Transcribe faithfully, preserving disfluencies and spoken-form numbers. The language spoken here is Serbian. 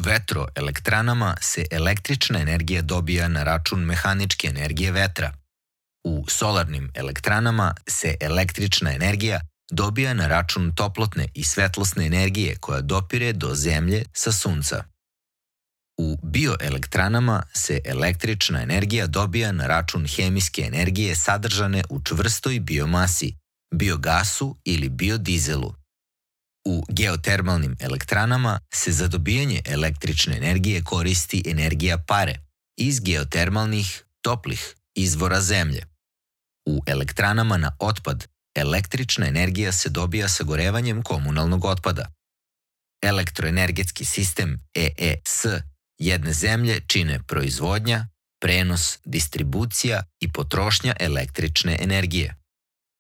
vetroelektranama se električna energija dobija na račun mehaničke energije vetra. U solarnim elektranama se električna energija dobija na račun toplotne i svetlosne energije koja dopire do zemlje sa sunca. U bioelektranama se električna energija dobija na račun hemijske energije sadržane u čvrstoj biomasi, biogasu ili biodizelu. U geotermalnim elektranama se za dobijanje električne energije koristi energija pare iz geotermalnih, toplih izvora zemlje. U elektranama na otpad električna energija se dobija sagorevanjem komunalnog otpada. Elektroenergetski sistem E E S jedne zemlje čine proizvodnja, prenos, distribucija i potrošnja električne energije.